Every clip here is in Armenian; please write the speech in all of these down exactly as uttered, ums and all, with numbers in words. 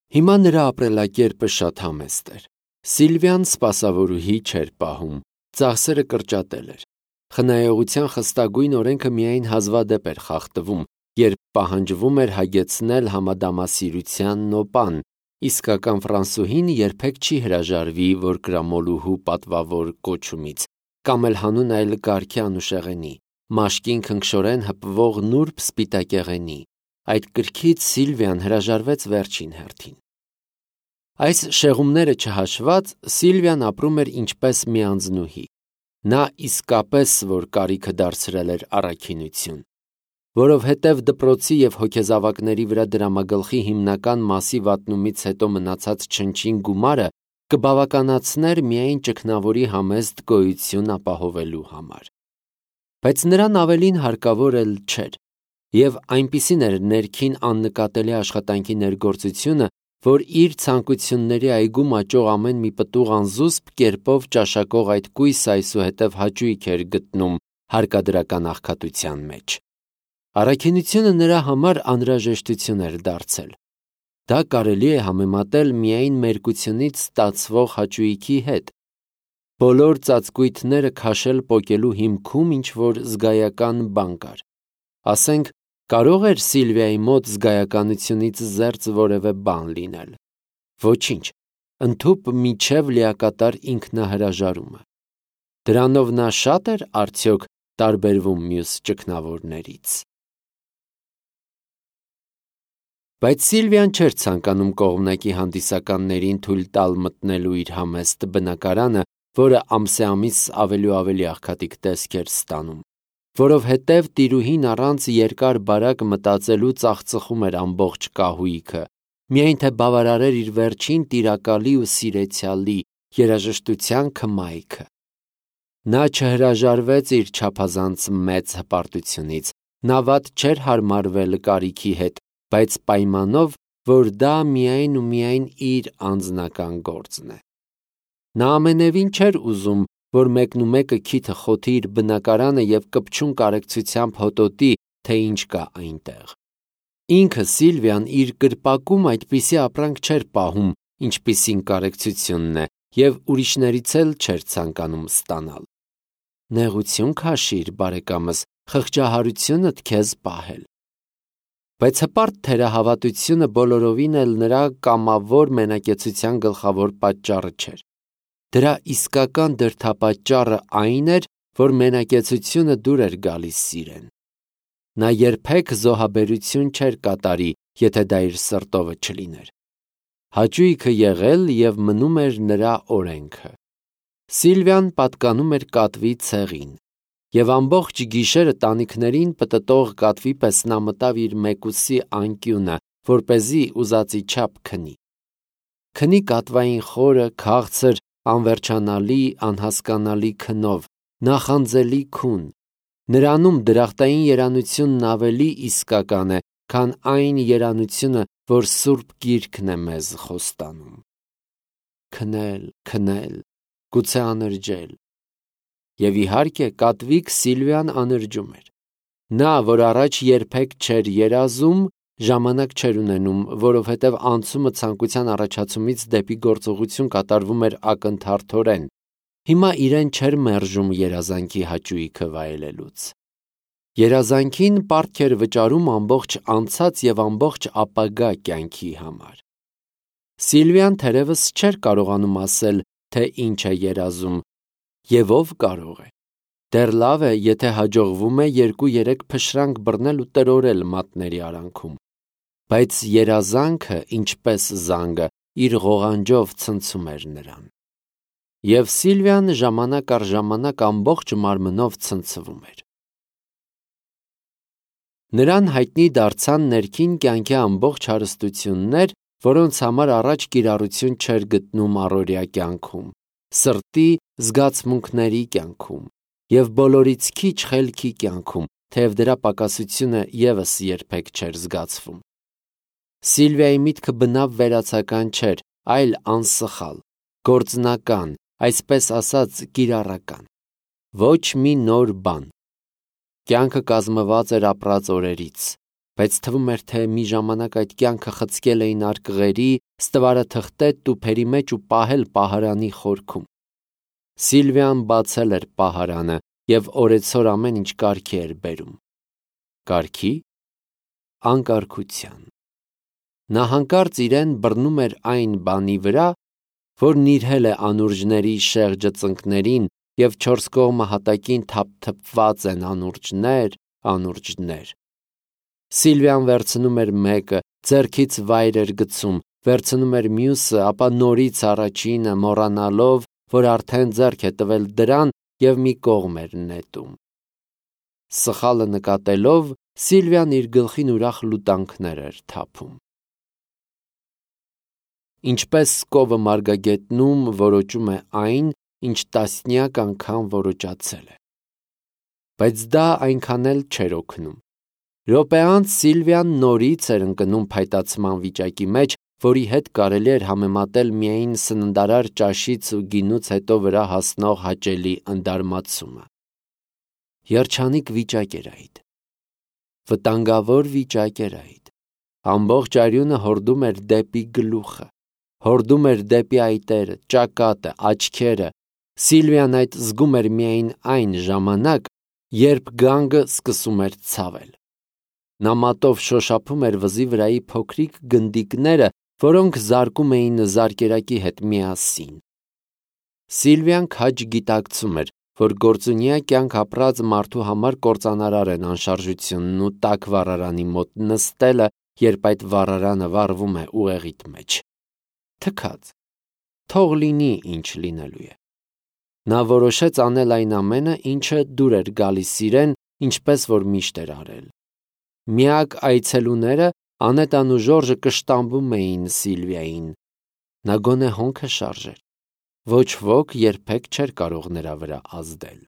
Հիմա նրա ապրելակերպը շատ համեստ էր։ Սիլվիան սպասավորուհի չէր պահում, ծախսերը կրճատել էր։ Խնայողության խստագույն օրենքը միայն հազվադեպ էր խախտվում, երբ պահանջվում էր հագեցնել համադամասիրության նոպան, իսկական ֆրանսուհին երբեք չի հրաժարվի որկրամոլուհու պատվավոր կոչումից, կամ էլ հանուն այլ կարգի անուշեղենի, մաշկին քնքշորեն հպվող նուրբ սպիտակեղենի։ Այդ կրքից Սիլվիան հրաժարվեց վերջին հերթին։ Այս շեղումները չհաշված, Սիլվիան ապրում էր ինչպես մի անձնուհի։ Նա իսկապես որ կարիքը դարձրել էր առաքինություն, որովհետև դպրոցի և հոգեզավակների վրա դրամագլխի հիմնական մասի վատնումից հետո մնացած չնչին գումարը կբավականացներ միայն ճգնավորի համեստ գոյություն ապահովելու համար։ Բայց նրան ավելին հարկավոր էլ չէր, և այնպիսին էր ներքին աննկատելի աշխատանքի ներգործությունը, որ իր ցանկությունների այգում աճող ամեն մի պտուղ անզուսպ կերպով ճաշակող այդ կույսը այսուհետև հաճույք էր գտնում հարկադրական աղքատության մեջ։ Առաքինությունը նրա համար անհրաժեշտություն էր դարձել։ Դա կարելի է համեմատել միայն մերկությունից ստացվող հաճույքի հետ։ Բոլոր ծածկույթները քաշել պոկելու հիմքում ինչ-որ զգայական բան կար։ Ասենք, կարո՞ղ էր Սիլվիայի մոտ զգայականությունից զերծ որևէ բան լինել։ Ոչինչ, ընդհուպ մինչև լիակատար ինքնահրաժարումը։ Դրանով նա շա՞տ էր արդյոք տարբերվում մյուս ճգնավորներից։ Բայց Սիլվիան չէր ցանկանում կողմնակի հանդիսականներին թույլ տալ մտնելու իր համեստ բնակարանը, որը ամսեամիս ավելի ու ավելի աղքատիկ տեսք էր ստանում, որովհետև տիրուհին առանց երկար-բարակ մտածելու ծախծխում էր ամբողջ կահույքը, միայն թե բավարարեր իր վերջին տիրակալի ու սիրեցյալի երաժշտության քմայքը։ Նա չհրաժարվեց իր չափազանց մեծ հպարտությունից, նա վատ չէր հարմարվել կարիքի հետ, բայց պայմանով, որ դա միայն ու միայն իր անձնական գործն է։ Նա ամենևին չէր ուզում, որ մեկնումեկը քիթը խոթի իր բնակարանը և կպչուն կարեկցությամբ հոտոտի, թե ինչ կա այնտեղ։ Ինքը Սիլվիան իր կրպակում այդպիսի ապրանք չէր պահում, ինչպիսին կարեկցությունն է, և ուրիշներից էլ չէր ցանկանում ստանալ։ Նեղություն քաշիր, բարեկամս, խղճահարությունդ քեզ պահել։ Բայց հպարտ թերահավատությունը բոլորովին էլ նրա կամավոր մենակեցության գլխավոր պատճառը չէր։ Դրա իսկական դրդապատճառը այն էր, որ մենակեցությունը դուր էր գալիս սիրեն։ Նա երբեք զոհաբերություն չէր կատարի, եթե դա իր սրտովը չլիներ։ Հաճույքը եղել և մնում էր նրա օրենքը։ Սիլվիան պատկանում էր կատվի ցեղին, և ամբողջ գիշերը տանիքներին պտտող կատվի պես նա մտավ իր մեկուսի անկյունը, որպեսզի ուզածի չափ քնի։ Քնի կատվային խորը, քաղցր, անվերջանալի, անհասկանալի քնով, նախանձելի քուն։ Նրանում դրախտային երանությունն ավելի իսկական է, քան այն երանությունը, որ Սուրբ Գիրքն է մեզ խոստանում։ Քնել, քնել, գուցե անրջել։ Եվ իհարկե կատվիկ Սիլվիան անրջում էր։ Նա, որ առաջ երբեք չէր երազում, ժամանակ չէր ունենում, որովհետև անցումը ցանկության առաջացումից դեպի գործողություն կատարվում էր ակնթարթորեն, հիմա իրեն չէր մերժում երազանքի հաճույքը վայելելուց։ Երազանքին պարտք էր վճարում ամբողջ անցած և ամբողջ ապագա կյանքի համար։ Սիլվիան թերևս չէր կարողանում ասել, թե ինչ է երազում, և ով կարող է։ Դեռ լավ է, եթե հաջողվում է երկու-երեք փշրանք բռնել ու տրորել մատների արանքում։ Բայց երազանքը, ինչպես զանգը, իր ղողանջով ցնցում էր նրան։ Եվ Սիլվիան ժամանակ առ ժամանակ ամբողջ մարմնով ցնցվում էր։ Նրան հայտնի դարձան ներքին կյանքի ամբողջ հարստություններ, որոնց համար առաջ կիրառություն չէր գտնում առօրյա կյանքում, սրտի զգացմունքների կյանքում և բոլորից քիչ խելքի կյանքում, թեև դրա պակասությունը ևս երբեք չէր զգացվում։ Սիլվիայի միտքը բնավ վերացական չէր, այլ անսխալ, գործնական, այսպես ասած կիրառական։ Ոչ մի նոր բան։ Կյանքը կազմված էր ապրած օրերից, բայց թվում էր, թե մի ժամանակ այդ կյանքը խցկել էին արկղերի, ստվարը թղթել տուփերի մեջ ու պահել պահարանի խորքում։ Սիլվիան բացել էր պահարանը և օրեցօր ամեն ինչ կարգի էր բերում։ Կարգի, անկարգության։ Նա հանկարծ իրեն բռնում էր այն բանի վրա, որ նիրհել է անուրջների շեղջը ծնկներին և չորս կողմը հատակին թափթփված են անուրջներ, անուրջներ։ Սիլվիան վերցնում էր մեկը, ձեռքից վայր էր գցում, վերցնում էր մյուսը, ապա նորից առաջինը, մոռանալով, որ արդեն ձեռք է տվել դրան և մի կողմ էր նետում։ Սխալը նկատելով, Սիլվիան իր գլխին ուրախ լուտանքներ էր թափում։ Ինչպես կովը մարգագետնում որոճում է այն, ինչ տասնյակ անգամ որոճացել է։ Բայց դա այնքան էլ չէր օգնում։ Րոպե անց Սիլվիան նորից էր ընկնում փայտացման վիճակի մեջ, որի հետ կարելի էր համեմատել միայն սննդարար ճաշից ու գինուց հետո վրա հասնող հաճելի ընդարմացումը։ Երջանիկ վիճակ էր այդ։ Վտանգավոր վիճակ էր այդ։ Ամբողջ արյունը հորդում էր դեպի գլուխը, հորդում էր դեպի այտերը, ճակատը, աչքերը։ Սիլվիան այդ զգում էր միայն այն ժամանակ, երբ գանգը սկսում էր ցավել։ Նա մատով շոշափում էր վզի վրայի փոքրիկ գնդիկները, որոնք զարկում էին զարկերակի հետ միասին։ Սիլվիան քաջ գիտակցում էր, որ գործունյա կյանք ապրած մարդու համար կործանարար են անշարժությունն ու տաք վառարանի մոտ նստելը, երբ այդ վառարանը վառվում է ուղեղիդ մեջ։ Թքած, թող լինի ինչ լինելու է։ Նա որոշեց անել այն ամենը, ինչը դուր էր գալիս իրեն, ինչպես որ միշտ էր արել։ Միակ այցելուները Անետան ու Ժորժը կշտամբում էին Սիլվիային։ Նա գոնե հոնքը շարժեր։ Ոչ ոք երբեք չէր կարող նրա վրա ազդել։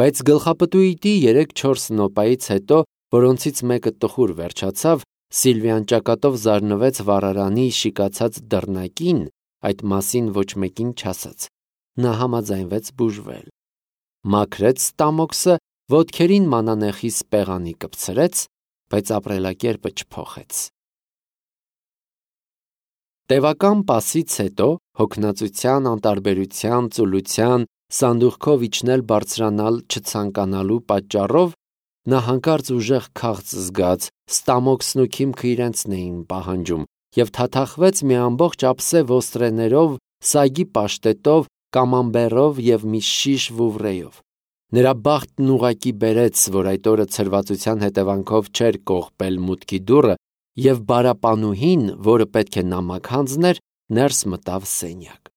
Բայց գլխապտույտի երեք-չորս նոպայից հետո, որոնցից մեկը տխուր վերջացավ, Սիլվիան ճակատով զարնվեց վառարանի շիկացած դռնակին, այդ մասին ոչ մեկին չասաց։ Նա համաձայնվեց բուժվել։ Մաքրեց ստամոքսը, ոտքերին մանանեխի սպեղանի կպցրեց, բայց ապրելակերպը չփոխեց։ Տևական պասից հետո, հոգնածության, անտարբերության, ծուլության, սանդուղքով իջնել բարձրանալ չցանկանալու պատճառով, նա հանկարծ ուժեղ քաղց զգաց, ստամոքսն ու քիմքը իրենցն էին պահանջում, և թաթախվեց մի ամբողջ ափսե ոստրեներով, սագի պաշտետով, կամամբերով և մի շիշ վուվրեյով։ Նրա բախտն ուղղակի բերեց, որ այդ օրը ցրվածության հետևանքով չէր կողպել մուտքի դուռը, և բարապանուհին, որը պետք է նամակ հանձներ, ներս մտավ սենյակ։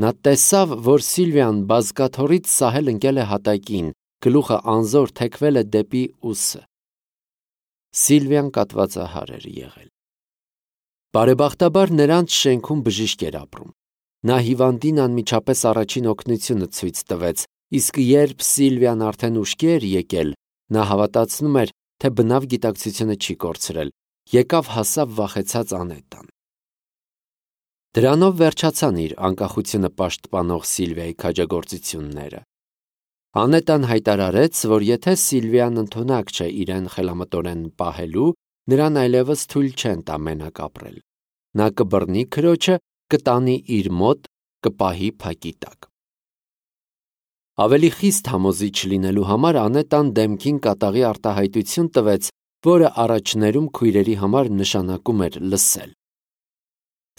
Նա տեսավ, որ Սիլվիան բազկաթոռից սահել ընկել է հատակին, գլուխը անզոր թեքվել է դեպի ուսը։ Սիլվիան կատվածահար էր եղել։ Բարեբախտաբար նրանց շենքում բժիշկ էր ապրում։ Նա հիվանդին անմիջապես առաջին օգնությունը ցույց տվեց, իսկ երբ Սիլվիան արդեն ուշքի էր եկել, նա հավատացնում էր, թե բնավ գիտակցությունը չի կորցրել, եկավ հասավ վախեցած Անետան։ Դրանով վերջացան իր անկախությունը պաշտպանող Սիլվիայի քաջագործությունները։ Անետան հայտարարեց, որ եթե Սիլվիան ընդունակ չէ իրեն խելամտորեն պահելու, նրան այլևս թույլ չեն տա մենակ ապրել։ Նա կբռնի քրոջը, կտանի իր մոտ, կպահի փակի տակ։ Ավելի խիստ համոզիչ լինելու համար Անետան դեմքին կատաղի արտահայտություն տվեց, որը առաջներում քույրերի համար նշանակում էր լսել։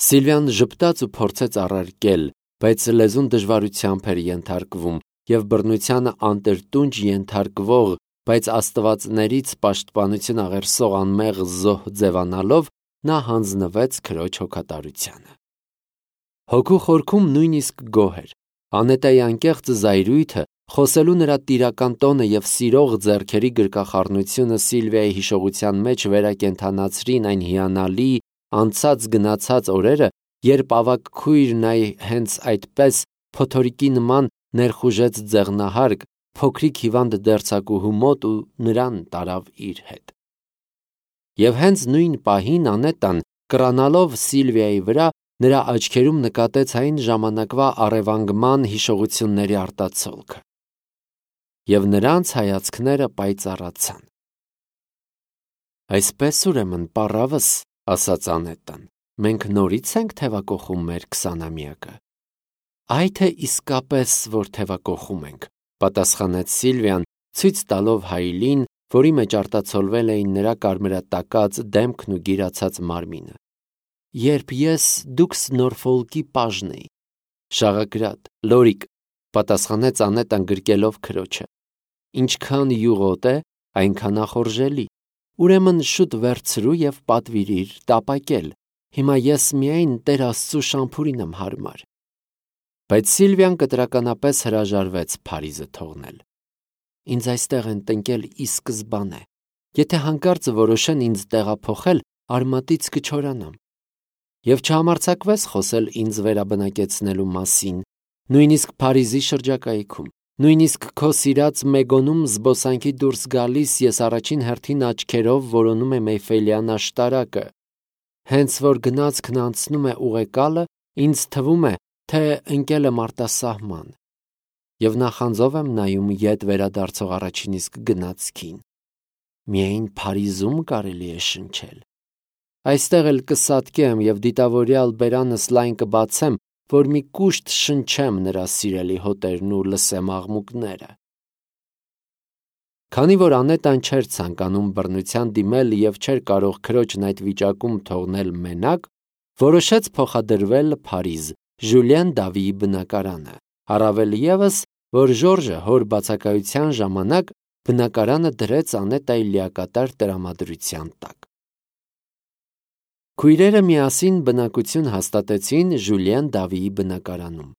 Սիլվիան ժպտաց ու փորձեց առարկել, բայց լեզուն դժվարությամբ էր ենթարկվում, և բռնությանը անտրտունջ ենթարկվող, բայց աստվածներից պաշտպանություն աղերսող անմեղ զոհ ձևանալով, նա հանձնվեց քրոջ հոգատարությանը։ Հոգու խորքում նույնիսկ գոհ էր։ Անետայի անկեղծ զայրույթը, խոսելու նրա տիրական տոնը և սիրող ձեռքերի գրկախառնությունը Սիլվիայի հիշողության մեջ վերակենդանացրին այն հիանալի, անցած գնացած օրերը, երբ ավագ քույրն այ հենց այդպես փոթորիկի նման ներխուժեց ձեղնահարկ, փոքրիկ հիվանդ դերձակուհու մոտ ու նրան տարավ իր հետ։ Եվ հենց նույն պահին Անետան, կռանալով Սիլվիայի վրա, նրա աչքերում նկատեց այն ժամանակվա առևանգման հիշողությունների արտացոլքը։ Եվ նրանց հայացքները պայծառացան։ Այսպես ուրեմն պառավս, ասաց Անետան, մենք նորից ենք թևակողում մեր քսանամյակը։ Այ թե իսկապես որ թևակողում ենք, պատասխանեց Սիլվիան, ցույց տալով Հայլին, որի մեջ արտացոլվել էին նրա կարմրատակած դեմքն ու գիրացած մարմինը։ Երբ ես դուքս Նորֆոլկի պաժն էի։ Շաղագրատ, լորիկ, պատասխանեց Անետան գրկելով քրոջը։ Ինչքան յուղոտ է, այնքան ախորժելի։ Ուրեմն շուտ վերցրու եւ պատվիրիր տապակել։ Հիմա ես միայն Տեր Աստծու շամփուրին եմ հարմար։ Բայց Սիլվիան կտրականապես հրաժարվեց Փարիզը թողնել։ Ինձ այստեղ են տնկել ի սկզբանե։ Եթե հանկարծ որոշեն ինձ տեղափոխել, արմատից կչորանամ։ Եվ չհամարձակվես խոսել ինձ վերաբնակեցնելու մասին, նույնիսկ Փարիզի շրջակայքում, նույնիսկ քո սիրած Մեգոնում զբոսանքի դուրս գալիս ես առաջին հերթին աչքերով որոնում եմ Էյֆելյան աշտարակը։ Հենց որ գնացքն անցնում է ուղեկալը, ինձ թվում է, թե ընկել եմ արտասահման։ Եվ նախանձով եմ նայում ետ վերադարձող առաջին իսկ գնացքին։ Միայն Փարիզում կարելի է շնչել։ Այստեղ էլ կսատկեմ և դիտավորյալ բերանս լայն կբացեմ, որ մի կուշտ շնչեմ նրա սիրելի հոտերն ու լսեմ աղմուկները։ Քանի որ Անետան չէր ցանկանում բռնության դիմել և չէր կարող քրոջն այդ վիճակում թողնել մենակ, որոշեց փոխադրվել Փարիզ, Ժուլիեն Դավիի բնակարանը, առավել ևս, որ Ժորժը հոր բացակայության ժամանակ բնակարանը դրեց Անետայի լիակատար տրամադրության տակ։ Քույրերը միասին բնակություն հաստատեցին Ժուլիեն Դավիի բնակարանում։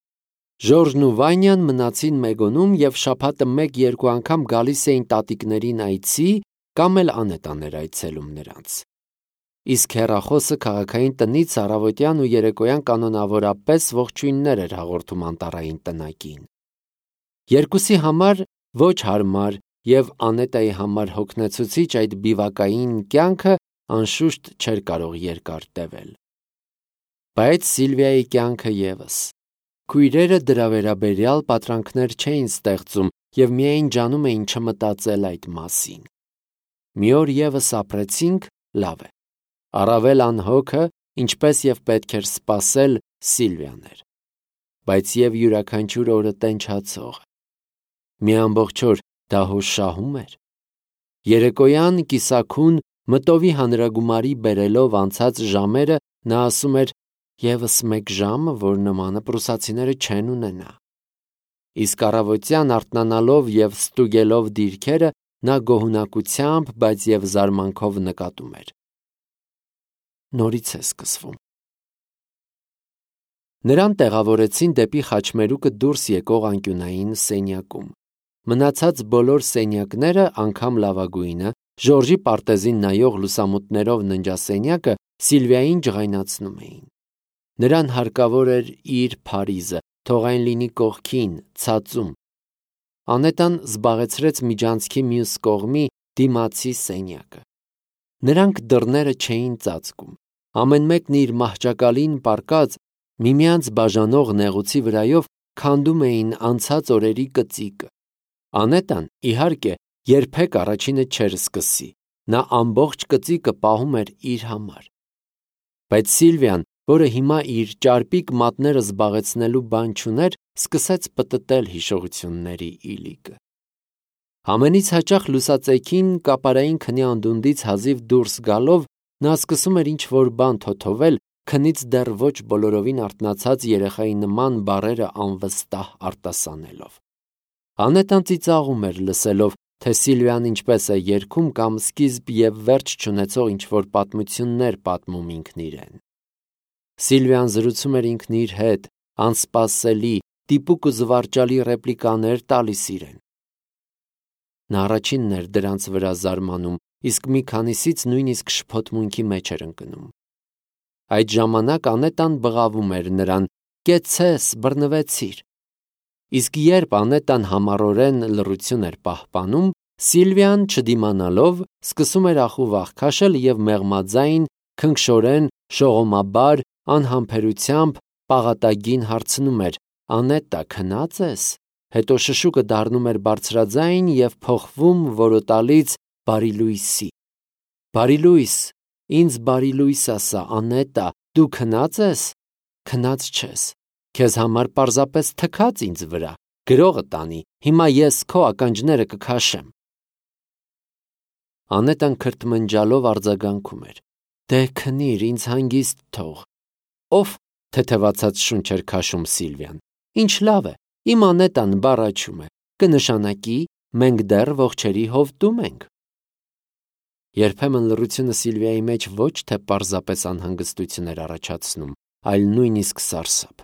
Ժորժն ու Վանյան մնացին Մեգոնում և շաբաթը մեկ-երկու անգամ գալիս էին տատիկներին այցի կամ էլ Անետան էր այցելում նրանց։ Իսկ հեռախոսը քաղաքային տնից առավոտյան ու երեկոյան կանոնավորապես ողջույններ էր հաղորդում անտառային տնակին։ Երկուսի համար ոչ հարմար և Անետայի համար հոգնեցուցիչ այդ բիվակային կյանքը անշուշտ չէր կարող երկար տևել։ Բայց Սիլվիայի կյանքը ևս։ Քույրերը դրա վերաբերյալ պատրանքներ չէին ստեղծում և միայն ջանում էին չմտածել այդ մասին։ Մի օր ևս ապրեցինք, լավ է։ Առավել անհոգը, ինչպես և պետք էր սպասել, Սիլվիան էր։ Բայց և յուրաքանչյուր օրը տենչացող։ Մի ամբողջ օր դա հո շահում էր։ Երեկոյան կիսաքուն մտովի հանրագումարի բերելով անցած ժամերը նա ասում էր «Եվս մեկ ժամը, որ նմանը պրուսացիները չեն ունենա»։ Իսկ առավոտյան արթնանալով և ստուգելով դիրքերը նա գոհունակությամբ, բայց և զարմանքով նկատում էր. նորից է սկսվում։ Նրան տեղավորեցին դեպի խաչմերուկը դուրս եկող անկյունային սենյակում։ Մնացած բոլոր սենյակները, անգամ լավագույնը, Ժորժի պարտեզին նայող լուսամուտներով ննջասենյակը Սիլվիային ջղայնացնում էին։ Նրան հարկավոր էր իր Փարիզը, թող այն լինի կողքին, ցածում։ Անետան զբաղեցրեց միջանցքի մյուս կողմի դիմացի սենյակը։ Նրանք դռները չէին ծածկում։ Ամեն մեկն իր մահճակալին պառկած, միմյանց բաժանող նեղուցի վրայով քանդում էին անցած օրերի կծիկը։ Անետան, իհարկե, երբեք առաջինը չէր սկսի, նա ամբողջ կծիկը պահում էր իր համար։ Բայց Սիլվիան, որը հիմա իր ճարպիկ մատները զբաղեցնելու բան չուներ, սկսեց պտտել հիշողությունների իլիկը։ Ամենից հաճախ լուսածեքին կապարային քնի անդունդից հազիվ դուրս գալով նա սկսում էր ինչ-որ բան թոթովել, քնից դեռ ոչ բոլորովին արթնացած երեխայի նման բառերը անվստահ արտասանելով։ Անետան ծիծաղում էր լսելով, թե Սիլվիան ինչպես է երգում կամ սկիզբ և վերջ չունեցող ինչ-որ պատմություններ պատմում ինքն իրեն։ Սիլվիան զրուցում էր ինքն իր հետ, անսպասելի, տիպուկ ու զվարճալի ռեպլիկաներ տալիս իրեն։ Նա առաջինն էր դրանց վրա զարմանում, իսկ մի քանիսից նույնիսկ շփոթմունքի մեջ էր ընկնում։ Այդ ժամանակ Անետան բղավում էր նրան. «Կեցցես, բռնվեցիր»։ Իսկ երբ Անետան համառորեն լռություն էր պահպանում, Սիլվիան, չդիմանալով, սկսում էր ախուվախ քաշել և մեղմաձայն, քնքշորեն, շողոմաբար, անհամբերությամբ, պաղատագին հարցնում էր. «Անետա, քնա՞ծ ես»։ Հետո շշուկը դառնում էր բարձրաձայն և փոխվում որոտալից բարի լույսի։ Բարի լույս, ինձ բարի լույս ասա, Անետա, դու քնած ես, քնած չես, քեզ համար պարզապես թքած ինձ վրա, գրողը տանի, հիմա ես քո ականջները կքաշեմ։ Անետան քրթմնջալով արձագանքում էր. Դե քնիր, ինձ հանգիստ թող։ Ով թեթևացած շունչ էր քաշում Սիլվիան։ Ինչ լավ է, իմ Անետան բառաչում է, կնշանակի մենք դեռ ողջերի հովտում ենք։ Երբեմն լռությունը Սիլվիայի մեջ ոչ թե պարզապես անհանգստություն էր առաջացնում, այլ նույնիսկ սարսափ։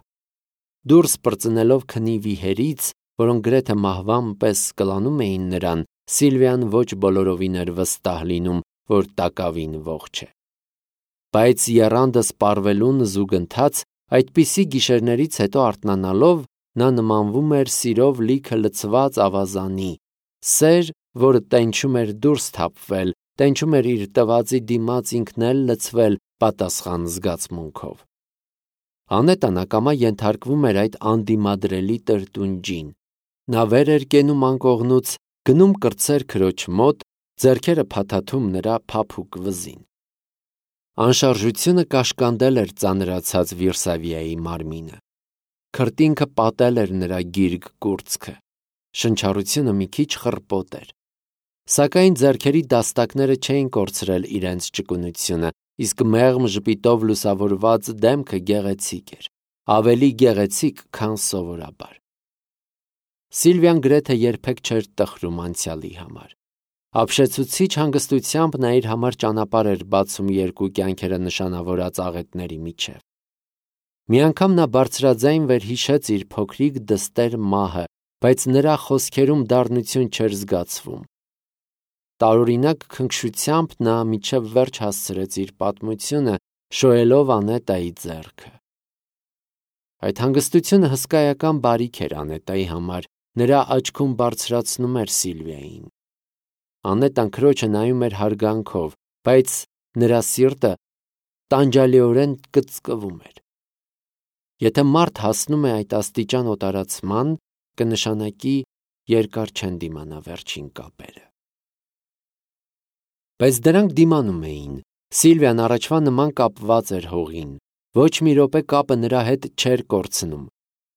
Դուրս պրծնելով քնի վիհերից, որոնք գրեթե մահվան պես կլանում էին նրան, Սիլվիան ոչ բոլորովին էր վստահ լինում, որ տակավին ողջ է։ Բայց եռանդը սպառվելուն զուգընթաց, այդպիսի գիշերներից հետո արթնանալով, նա նմանվում էր սիրով լիքը լցված ավազանի, սեր, որը տենչում էր դուրս թափվել, տենչում էր իր տվածի դիմաց ինքն էլ լցվել պատասխան զգացմունքով։ Անետան ակամա ենթարկվում էր այդ անդիմադրելի տրտունջին։ Նա վեր էր կենում անկողնուց, գնում կրտսեր քրոջ մոտ, ձեռքերը փաթաթում նրա փափուկ վզին։ Անշարժությունը կաշկանդել էր ծանրացած Վիրսավիայի մարմինը։ Քրտինքը պատել էր նրա գիրգ կուրծքը։ Շնչառությունը մի քիչ խռպոտ էր։ Սակայն ձեռքերի դաստակները չէին կորցրել իրենց ճկունությունը, իսկ մեղմ ժպիտով լուսավորված դեմքը գեղեցիկ էր, ավելի գեղեցիկ, քան սովորաբար։ Սիլվիան գրեթե երբեք չէր տխրում անցյալի համար։ Ապշեցուցիչ հանգստությամբ նա իր համար ճանապարհ էր բացում երկու կյանքերը նշանավորած աղետների միջև։ Մի անգամ նա բարձրաձայն վերհիշեց իր փոքրիկ դստեր մահը, բայց նրա խոսքերում դառնություն չէր զգացվում։ Տարօրինակ քնքշությամբ նա մինչև վերջ հասցրեց իր պատմությունը, շոյելով Անետայի ձեռքը։ Այդ հանգստությունը հսկայական բարիք էր Անետայի համար, նրա աչքում բարձրացնում էր Սիլվիային։ Անետան քրոջը նայում էր հարգանքով, բայց նրա սիրտը տանջալիորեն կծկվում էր։ Եթե մարդ հասնում է այդ աստիճան օտարացման, կնշանակի երկար չեն դիմանա վերջին կապերը։ Բայց դրանք դիմանում էին։ Սիլվիան առաջվա նման կապված էր հողին, ոչ մի րոպե կապը նրա հետ չէր կորցնում։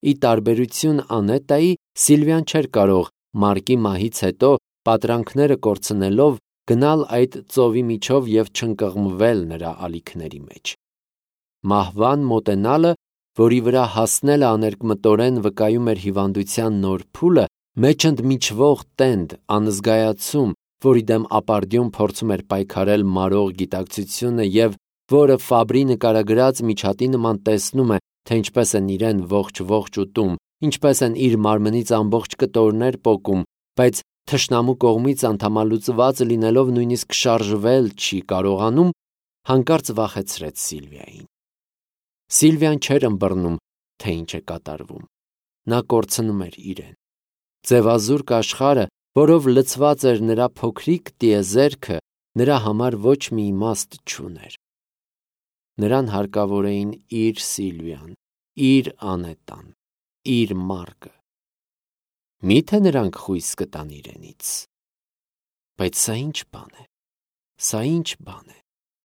Ի տարբերություն Անետայի, Սիլվիան չէր կարող Մարկի մահից հետո պատրանքները կորցնելով գնալ այդ ծովի միջով և չընկղմվել նրա ալիքների մեջ։ Մահվան մոտենալը, որի վրա հասնելը աներկմտորեն վկայում էր հիվանդության նոր փուլը, մեջընդմիջվող տենդ, անզգայացում, որի դեմ ապարդյուն փորձում էր պայքարել մարող գիտակցությունը և որը Ֆաբրի նկարագրած միջատի նման տեսնում է, թե ինչպես են իրեն ողջ-ողջ ուտում, ինչպես են իր մարմնից ամբողջ կտորներ պոկում, բայց թշնամու կողմից անդամալուծված լինելով նույնիսկ շարժվել չի կարողանում, հանկարծ վախեցրեց Սիլվիային։ Սիլվիան չէր ըմբռնում, թե ինչ է կատարվում։ Նա կորցնում էր իրեն։ Ձևազուրկ աշխարհը, որով լցված էր նրա փոքրիկ տիեզերքը, նրա համար ոչ մի իմաստ չուներ։ Նրան հարկավոր էին իր Սիլվիան, իր Անետան, իր Մարկը։ Մի՞թե նրանք խույս կտան իրենից։ Բայց սա ի՞նչ բան է։ Սա ի՞նչ բան է։